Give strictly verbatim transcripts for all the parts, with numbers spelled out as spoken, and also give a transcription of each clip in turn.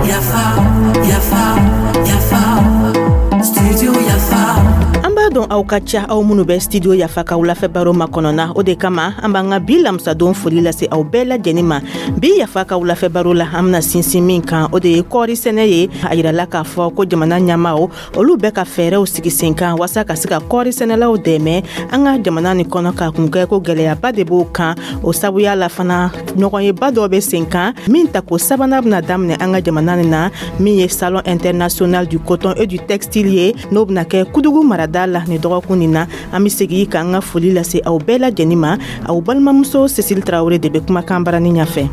Yafa, yafa, yafa, Studio Yafa. An b'a dɔn aw ka ca, aw minnu bɛ Studio Yafa ka wulafɛ baro makɔnɔ na. O de kama an b'an ka bi lamisadon foli lase aw bɛɛ lajɛlen ma. Bi Yafa ka wulafɛ baro la, an bena sinsin min kan, o de ye kɔɔri sɛnɛ ye. A yirala k'a fɔ ko jamana ɲɛmaw, olu bɛ ka fɛɛrɛw sigi sen kan waasa ka se ka kɔɔri sɛnɛlaw dɛmɛ an ka jamana nin kɔnɔ, k'a kun kɛ ko gwɛlɛyaba de b'o kan. O sabuya la fana, ɲɔgɔnyeba dɔ bɛ sen kan min tako sabanan bena daminɛ an ka jamana nin na, min ye Salon international du coton et du textile ye, n'o bena kɛ Kudugu marada la nin dɔgɔkun nin na. An be segi k'an ka foli lase aw bɛɛ lajɛnin ma. Aw balimamuso Cécile Tarawele de be kumakan barani ɲafɛ.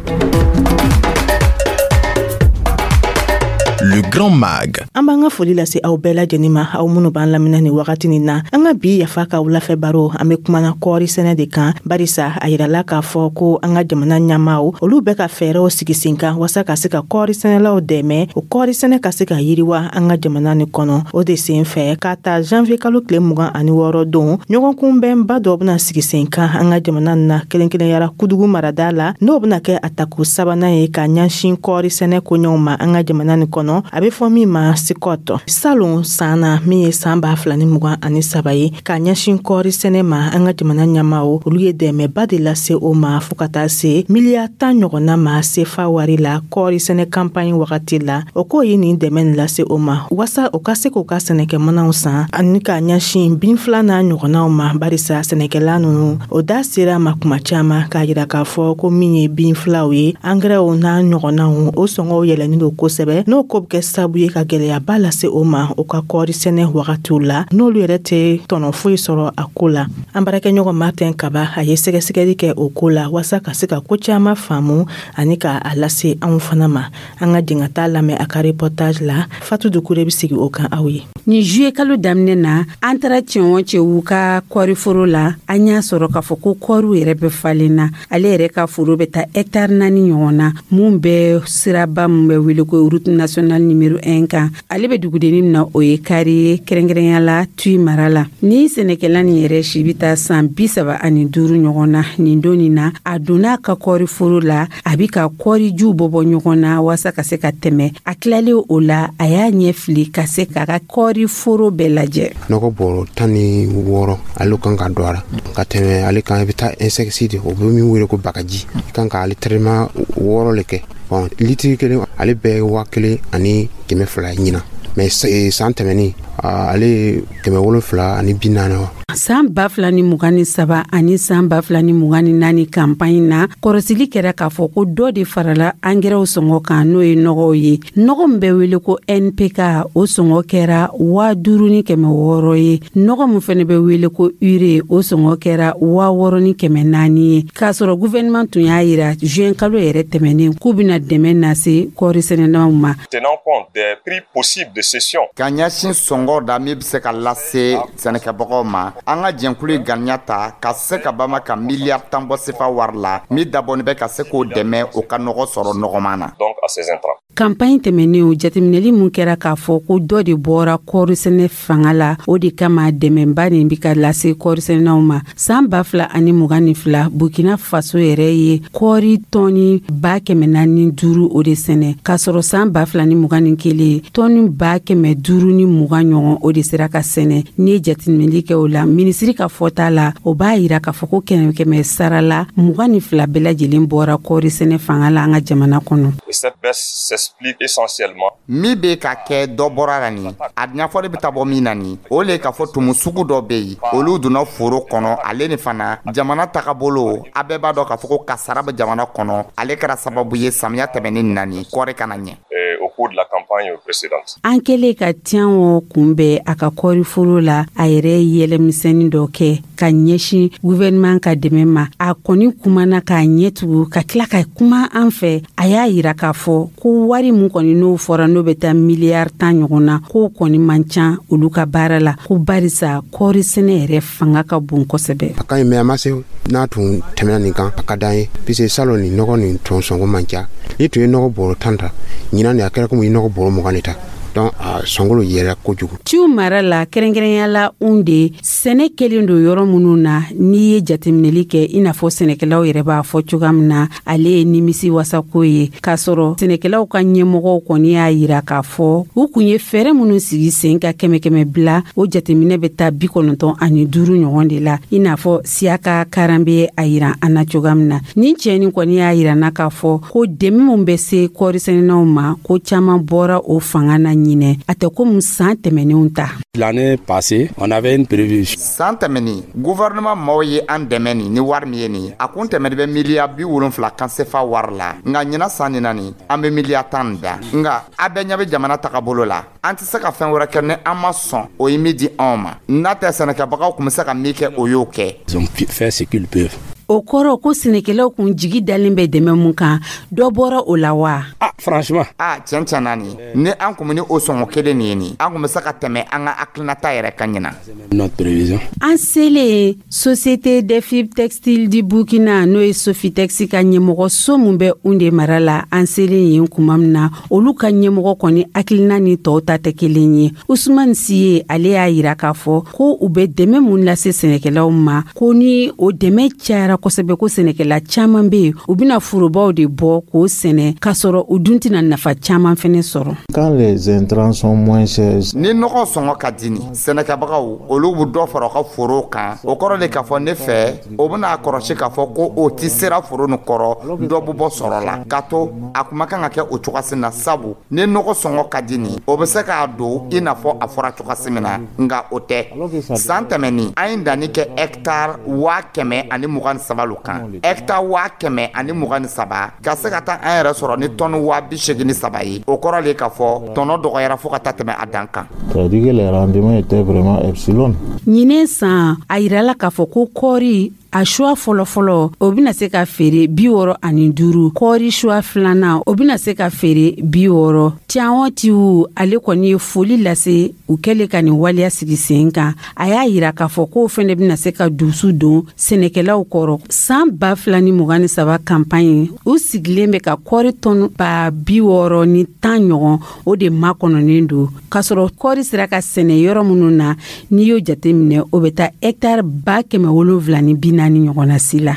Le Grand Mag. An b'an ka foli lase aw bɛɛ lajɛnin ma, aw minnu b'an lamina nin wagati nin na. An ka bi Yafa ka wulafɛ baro, an be kumana kɔɔri sɛnɛ de kan, barisa a yirala k'a fɔ ko an ka jamana ɲamaw, olu bɛ ka fɛɛrɛw sigi sen kan waasa ka se ka kɔɔri sɛnɛlaw dɛmɛ, o kɔɔri sɛnɛ ka se ka yiriwa an ka jamana nin kɔnɔ. O de sen fɛ, k'a ta janvier kalo tile mugan ani wɔɔrɔ don, ɲɔgɔnkunbɛnba dɔ bena sigi sen kan an ka jamana nin na, kelen kelenyara Kudugu marada la, n'o bena kɛ a tako sabanan ye ka ɲɛsin kɔɔri sɛnɛ koɲɛw ma an ka jamana nin kɔnɔ, a bɛ fɔ min ma SICOT. Salon san na, min ye san ba fila ni mugan ani saba ye, ka ɲɛsin kɔɔri sɛnɛ ma, an ka jamana ɲɛmaw, olu ye dɛmɛba de lase o ma, fɔɔ ka taa se miliyari tan ɲɔgɔnna ma sefa wari la kɔɔri sɛnɛ kanpaɲi wagati la. O k'o ye nin dɛmɛ nin lase o ma waasa o ka se k'o ka sɛnɛkɛmanaw san ani ka ɲɛsin bin fila n'a ɲɔgɔnnaw ma, barisa sɛnɛkɛla nunu, o da sera ma kuma caaman k'a yira k'a fɔ ko min ye bin filaw ye, angɛrɛw n'a ɲɔgɔnnaw, o sɔngɔw yɛlɛnin don kosɛbɛ, n'o ko bɛ kɛ sababu ye ka gwɛlɛyaba lase o ma o ka kɔɔri sɛnɛ wagatiw la, n'olu yɛrɛ tɛ tɔnɔ foyi sɔrɔ a ko la. An baarakɛɲɔgɔn Martin Kaba, a ye sɛgɛsɛgɛli kɛ o ko la waasa ka se ka ko caaman faamu ani ka a lase anw fana ma. An ka jɛn ka taa lamɛn a ka reportage la. Fatu Dukure bɛ sigi o kan aw ye. Nin juillet kalo daminɛ na, an taara cɛn o cɛw ka kɔɔriforo la, an y'a sɔrɔ k'a fɔ ko kɔɔriw yɛrɛ bɛ falen na. Ale yɛrɛ ka foro bɛ taa hɛtari naani ɲɔgɔn na, mun bɛ siraba mun bɛ wele ko route nationale numéro un kan. Ale bɛ dugudenni min na, o ye kari ye, kɛrɛnkɛrɛnya la Tuy mara la. Ni sɛnɛkɛla nin yɛrɛ si bɛ taa san bi saba ani duuru ɲɔgɔn na, nin don nin na, a donna a ka kɔɔriforo la, a bi ka kɔɔrijiw bɔ bɔ ɲɔgɔn na waasa ka se ka tɛmɛ. A tilalen o la, a y'a ɲɛ fili ka se k'a ka kɔɔriforo bɛɛ lajɛ. Nɔgɔ bɔrɔ tan ni wɔɔrɔ ale kan ka don a la ka tɛmɛ ale kan. I bɛ taa insecticide, o bɛ min wele ko bagaji, i kan ka ale traitement wɔɔrɔ le kɛ. Bon, litiri kelen ale bɛɛ waa kelen ani kɛmɛ fila ɲina, mais san tɛmɛnin ale ye kɛmɛ wolonfila ani bi naani. San ba fila ni mugan ni saba ani san ba fila ni mugan ni naani kanpaɲi na, kɔrɔsili kɛra k'a fɔ ko dɔ de farala angɛrɛw sɔngɔ kan, n'o ye nɔgɔw ye. Nɔgɔ min bɛ wele ko N P K, o sɔngɔ kɛra waa duuru ni kɛmɛ wɔɔrɔ ye. Nɔgɔ min fɛnɛ bɛ wele ko urée, o sɔngɔ kɛra waa wɔɔrɔ ni kɛmɛ naani ye, k'a sɔrɔ gouvernement tun y'a yira juin kalo yɛrɛ tɛmɛnen k'u bɛna dɛmɛ lase kɔɔri sɛnɛnaw ma. Tenant compte des prix possibles de cession. Ka ɲɛsin sɔngɔ da min bɛ se ka lase sɛnɛkɛbagaw ma, an ka jɛnkulu ye ganiya ta ka se ka bama ka miliyari tan bɔ sefa wari la min dabɔni bɛ ka se k'o dɛmɛ o ka nɔgɔ sɔrɔ nɔgɔman na. Donc à ces intrants. Kanpaɲi tɛmɛnenw, jateminɛli mun kɛra k'a fɔ ko dɔ de bɔra kɔɔri sɛnɛ fanga la, o de kama dɛmɛba nin bi ka lase kɔɔri sɛnɛnaw ma. San ba fila ani mugan ni fila, Burkina Faso yɛrɛ ye kɔɔri tɔni ba kɛmɛ naani duuru o de sɛnɛ, k'a sɔrɔ san ba fila ni mugan ni kelen, tɔni ba kɛmɛ duuru ni mugan ɲɔgɔn o de sera ka sɛnɛ. N'i ye jateminɛli kɛ o la, minisiri ka fɔta la, o b'a yira k'a fɔ ko kɛmɛ kɛmɛ sara la, mugan ni fila bɛɛ lajɛlen bɔra kɔɔri sɛnɛ fanga la an ka jamana kɔnɔ. Et cette baisse s'explique essentiellement Min bɛ ka kɛ dɔ bɔra la nin, a ɲɛfɔli bɛ taa bɔ min na nin, o le k'a fɔ tumu sugu dɔ bɛ yen, olu donna foro kɔnɔ. Ale ni fana jamana tagabolo, a bɛɛ b'a dɔn k'a fɔ ko kasara bɛ jamana kɔnɔ, ale kɛra sababu ye samiya tɛmɛnen na nin, kɔɔri kana ɲɛ. euh, au cours de la campagne précédente. An kɛlen ka tiɲɛ kunbɛn a ka kɔɔriforo la, a yɛrɛ ye yɛlɛmisɛnnin dɔ kɛ ka ɲɛsin gouvernement ka dɛmɛ ma. A kɔni kumana k'a ɲɛ tugu ka tila ka kuma an fɛ. A y'a yira k'a fɔ ko wari mun kɔni n'o fɔra, n'o bɛ taa miliyari tan ɲɔgɔn na, k'o kɔni man ca olu ka baara la, ko barisa kɔɔri sɛnɛ yɛrɛ fanga ka bon kosɛbɛ. A ka ɲi, mais a ma se. N'a tun tɛmɛna nin kan, a ka d'an ye, puisque salon nin nɔgɔ nin tɔn sɔngɔ man ca. Ni tun ye nɔgɔ bɔrɔ tan ta ɲinan nin, a kɛra komi i nɔgɔ bɔrɔ mugan de ta. Donc a sɔngɔ yɛlɛ kojugu. Ciw mara la, kɛrɛnkɛrɛnya la Unde, sɛnɛ kɛlen don yɔrɔ minnu na, n'i ye jateminɛli kɛ, i n'a fɔ sɛnɛkɛlaw yɛrɛ b'a fɔ cogoya min na, ale ye nimisi wasako ye, k'a sɔrɔ sɛnɛkɛlaw ka ɲɛmɔgɔw kɔni y'a yira k'a fɔ u kun ye fɛɛrɛ minnu sigi sen ka, kɛmɛ kɛmɛ bila, o jateminɛ bɛ taa bi kɔnɔntɔn ani duuru ɲɔgɔn de la, i n'a fɔ Siyaka Karan bɛ a yira an na cogoya min na. Nin cɛnin kɔni y'a yira na k'a fɔ ko dɛmɛ min bɛ se kɔɔrisɛnɛnaw ma, ko caaman bɔra o fanga na ɲinɛ, a tɛ komi san tɛmɛnenw ta. L'année passée, on avait une prévision. San tɛmɛni, gouvernement maaw ye an dɛmɛ nin ni wari min ye nin, a kun tɛmɛni bɛ miliyari bi wolonfila kan sefa wari la. Nka ɲina san nin na nin, an bɛ miliyari tan da. Nka a bɛɛ ɲɛ bɛ jamana tagabolo la, an tɛ se ka fɛn wɛrɛ kɛ ni an ma sɔn o ye min di anw ma. N'a tɛ, sɛnɛkɛbagaw tun bɛ se ka min kɛ, o y'o kɛ. Ils ont fait ce qu'ils peuvent. O kɔrɔ ko sɛnɛkɛlaw kun jigi dalen bɛ dɛmɛ mun kan, dɔ bɔra o la wa? Ah, franchement. Ah, tiɲɛ tiɲɛ na nin, ni an kun bɛ ni o sɔngɔ kelen nin ye nin, an kun bɛ se ka tɛmɛ an ka hakilinata yɛrɛ kan ɲina. Notre prévision. An selen Société des fibres textiles du Burkina, n'o ye Sofitex ka ɲɛmɔgɔ so mun bɛ Unde mara la, an selen yen kuma min na, olu ka ɲɛmɔgɔ kɔni hakilina ni tɔw ta tɛ kelen ye. Usumani Siye, ale y'a yira k'a fɔ ko u bɛ dɛmɛ mun lase sɛnɛkɛlaw ma, ko ni o dɛmɛ cayara kosɛbɛ, ko sɛnɛkɛla caaman be yen, u bɛna forobaw de bɔ k'o sɛnɛ, k'a sɔrɔ u dun tɛna nafa caaman fɛnɛ sɔrɔ. Quand les intrants sont moins chers, Ni nɔgɔ sɔngɔ ka di nin, sɛnɛkɛbagaw olu bɛ dɔ fara u ka foro kan. O kɔrɔ de k'a fɔ ne fɛ, o bɛna kɔrɔsi k'a fɔ ko o ti sera foro nin kɔrɔ, dɔ bɛ bɔ sɔrɔ la. Ka to a kuma kan ka kɛ o cogoyasi na, sabu ni nɔgɔ sɔngɔ ka di nin, o bɛ se k'a don i n'a fɔ a fɔra cogoyasi min na. Nka o tɛ. San tɛmɛnin, an ye danni kɛ hɛkitari waa kɛmɛ ani mugan ni saba lo kan. Hɛkitari waa kɛmɛ ani mugan ni saba ka se ka taa an yɛrɛ sɔrɔ ni tɔni waa bi seegin ni saba ye, o kɔrɔ le k'a fɔ tɔnɔ dɔgɔyara fo ka taa tɛmɛ a dan kan. C'est-à-dire que les rendements étaient vraiment epsilon. Ɲinɛ san, a yirala k'a fɔ ko kɔɔri a suwa fɔlɔfɔlɔ, o bɛna se ka feere bi wɔɔrɔ ani duuru. Kɔɔri suwa filanan, o bɛna se ka feere bi wɔɔrɔ. Tiɲɛ tiw, ale kɔni ye foli lase u kɛlen ka nin waleya sigi sen kan. A y'a yira k'a fɔ k'o fɛnɛ bɛna se ka dusu don sɛnɛkɛlaw kɔrɔ. San ba fila ni mugan ni saba kanpaɲi, u sigilen bɛ ka kɔɔri tɔn ba bi wɔɔrɔ ni tan ɲɔgɔn, o de makɔnɔnen don, k'a sɔrɔ kɔɔri sera ka sɛnɛ yɔrɔ minnu na, n'i y'o jateminɛ, o bɛ taa hɛkitari ba kɛmɛ wolonfila ni bi naani ɲɔgɔnna si la.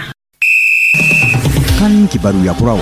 Kan kibaruya kuraw.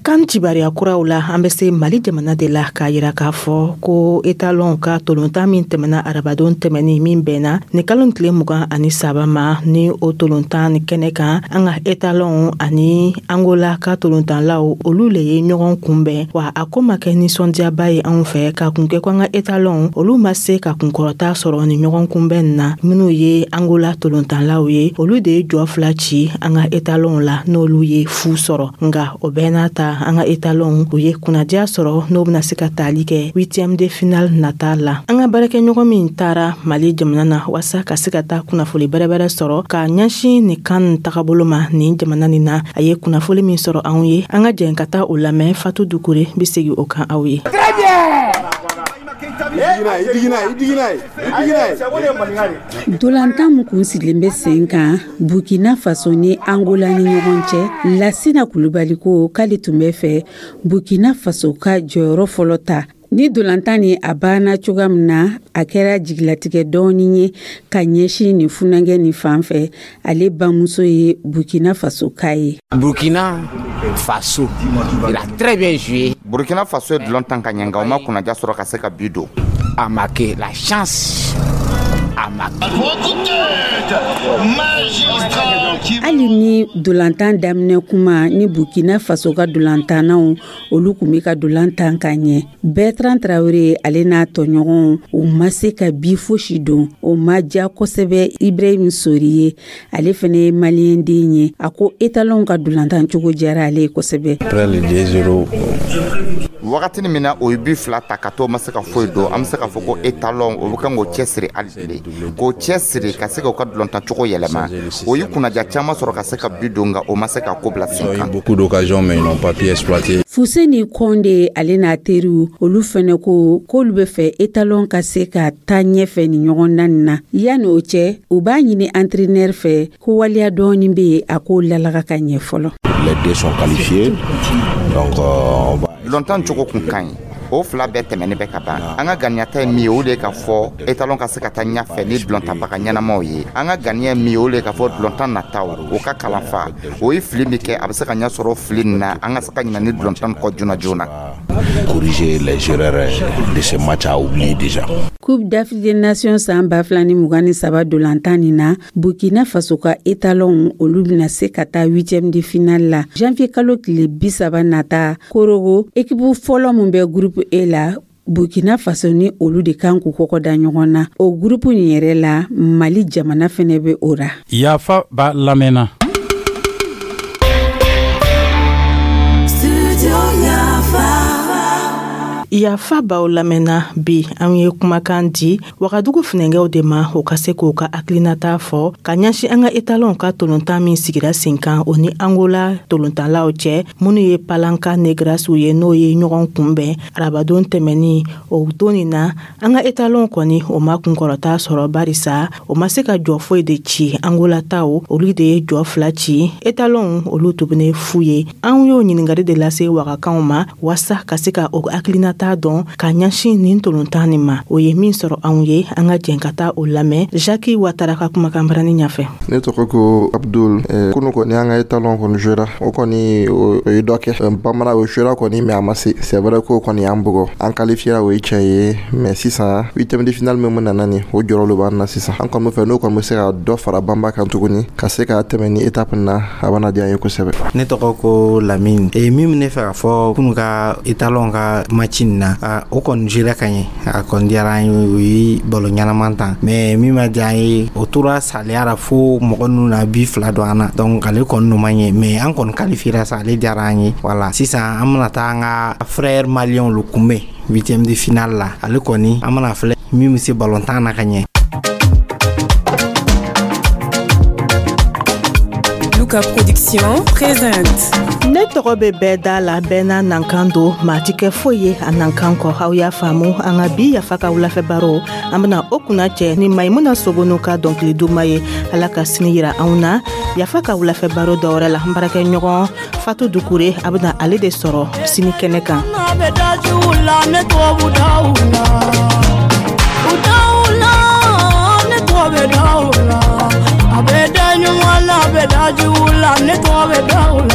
Kan kibaruya kuraw la, an bɛ se Mali jamana de la, k'a yira k'a fɔ ko etalɔnw ka tolontan min tɛmɛna arabadon tɛmɛni min bɛnna ni kalo tile mugan ani saba ma, ni o tolontan ni kɛnɛ kan, an ka etalɔnw ani Angola ka tolontanlaw, olu le ye ɲɔgɔn kunbɛn. Wa a ko ma kɛ nisɔndiyaba ye anw fɛ, k'a kun kɛ ko an ka etalɔnw, olu ma se ka kunkɔrɔta sɔrɔ ni ɲɔgɔn kunbɛn na. Minnu ye Angola tolontanlaw ye, olu de ye jɔ fila ci an ka etalɔnw la, n'olu ye fu sɔrɔ. Nga o bɛɛ n'a ta, an ka etalɔnw, u ye kunnadiya sɔrɔ, n'o bena se ka taali kɛ huitième de finale nata la. An ka baarakɛɲɔgɔn min taara Mali jamana na waasa ka se ka taa kunnafoli bɛrɛbɛrɛ sɔrɔ ka ɲɛsin nin kan tagabolo ma nin jamana nin na, a ye kunnafoli min sɔrɔ anw ye, an ka jɛn ka taa o lamɛn. Fatu Dukure be segi o kan aw ye. Très bien. Dolantan min kun sigilen bɛ sen kan Burkina Faso ni Angola ni ɲɔgɔn cɛ, Lasina Kulubali ko k'ale tun bɛ fɛ Burkina Faso ka jɔyɔrɔ fɔlɔ ta ni dolantan ni. A banna cogoya min na, a kɛra jigilatigɛ dɔɔnin ye ka ɲɛsin nin funankɛ nin fan fɛ. Ale bamuso ye Burkina Faso ka ye. Burkina Faso, il a très bien joué. Burkina Faso ye dulon tan ka ɲɛ, nka u ma kunnaja sɔrɔ ka se ka bi don. A marqué la chance a marqué. Hali ni dolantan daminɛ kuma ni Burkina Faso ka dolantannaw, olu kun bɛ ka dolantan ka ɲɛ, Bertrand Traoré ale n'a tɔɲɔgɔnw, u ma se ka bi fosi don. O ma diya kosɛbɛ Ibrahim Sori ye. Ale fɛnɛ ye maliyɛnden ye. A ko etalɔnw ka dolantan cogo diyara ale ye kosɛbɛ. Après le deux zéro, Wagatini min na o ye bi fila ta ka to ma se ka foyi don, an bɛ se k'a fɔ ko etalɔn o bɛ kan k'o cɛsiri hali bilen, k'o cɛsiri ka se k'u ka dulontancogo yɛlɛma. O ye kunnaja caman sɔrɔ ka se ka bi don, nka o ma se ka ko bila sen ils ont eu kan. beaucoup d'occasions, mais ils n'ont pas pu exploiter. Fuseni Kɔnde, ale n'a teriw, olu fɛnɛ ko k'olu bɛ fɛ etalɔn ka se ka taa ɲɛfɛ ni ɲɔgɔn dan nin na. Yanni o cɛ, u b'a ɲini entraîneur fɛ ko waleya dɔɔni be yen, a k'o lalaga ka ɲɛ fɔlɔ. Les deux sont qualifiés. Donc, euh, on va Dulontan cogo kun ka ɲi. O fila bɛɛ tɛmɛnen bɛ ka ban. An ka ganiyata ye min ye, o de ye ka fɔ étalon ka se ka taa ɲɛfɛ ni dulɔntanbaga ɲɛnamaw ye. An ka ganiya ye min ye, o de ye ka fɔ dulɔntan nataw o ka kalanfa, o ye fili min kɛ, a bɛ se ka ɲɛ sɔrɔ fili nin na, an ka se ka ɲinɛ ni dulɔntan kɔ joona joona. Corriger les erreurs de ce match à oublier déjà. Coupe d'Afrique des Nations san ba fila ni mugan ni saba dolantan nin na, Burkina Faso ka étalon, olu bɛna se ka taa huitième de finale la janvier kalo tile bi saba nata Korogo. Équipe fɔlɔ mun bɛ groupe E la, Burkina Faso ni olu de kan k'u kɔkɔ da ɲɔgɔn na. O groupe nin yɛrɛ la, Mali jamana fɛnɛ bɛ o ra. Yafa b'a lamɛnna. Studio Yafa. Yafa b'aw lamɛnna. Bi, an ye kumakan di Wagadugu funɛngɛw de ma, o ka se k'o ka hakilinata fɔ ka ɲɛsin an ka étalonw ka tolontan min sigira sen kan, o ni Angola tolontanlaw cɛ, minnu ye Palanka Negrasiw ye, n'o ye ɲɔgɔn kunbɛn arabadon tɛmɛni. O don nin na, an ka étalonw kɔni, o ma kunkɔrɔta sɔrɔ, barisa o ma se ka jɔ foyi de ci. Angola taw, olu de ye jɔ fila ci, étalonw olu tuguni fu ye. An y'o ɲininkali de lase wagakanw ma waasa ka se ka o hakilinata t'a dɔn ka ɲɛsin nin tolontan nin ma. O ye min sɔrɔ anw ye, an ka jɛn ka taa o lamɛn Jacques Watara ka kumakan barani ɲafɛ. Ne tɔgɔ ko Abdul. Kunu kɔni, an ka étalon kɔni jouera, o kɔni o ye dɔ kɛ bamanan, o jouera kɔni, mais a ma se. C'est vrai ko kɔni y'an bugɔ, an qualifiera, o ye tiɲɛ ye, mais sisan huitième de finale min nana nin, o jɔrɔ lo b'an na sisan. An kɔni bɛ fɛ n'o kɔni bɛ se ka dɔ fara banba kan tuguni, ka se ka tɛmɛ ni étape na, a bɛna diya an ye kosɛbɛ. Ne tɔgɔ ko Lamine. E min bɛ ne fɛ ka fɔ kunu ka étalon ka match nin na, o kɔni jouera ka ɲɛ, a kɔni diyara an ye, o ye ballon ɲɛnaman tan, mais min ma diya an ye, o tora saliya la fo mɔgɔ ninnu na bi fila don an na. Donc ale kɔni no ma ɲɛ, mais an kɔni qualifiera sa, ale diyara an ye. Voilà, sisan an bɛna taa an ka frère malien lu kunbɛn huitième de finale la. Ale kɔni, an bɛna filɛ min bɛ se ballon tan na ka ɲɛ. Luka Production présente. Ne tɔgɔ bɛ bɛɛ da la, bɛɛ n'a nankan don, maa ti kɛ foyi ye a nankan kɔ. Aw y'a faamu, an ka bi Yafa ka wulafɛ baro, an bena o kunna cɛ ni Maimuna Sogonu ka dɔnkili duman ye. Ala ka sini yira anw na Yafa ka wulafɛ baro dɔwɛrɛ la. N baarakɛ ɲɔgɔn Fatu Dukure, a bena ale de sɔrɔ sini kɛnɛ kan. Ne tɔgɔ bɛ da u la, ne tɔgɔ bɛ da u la.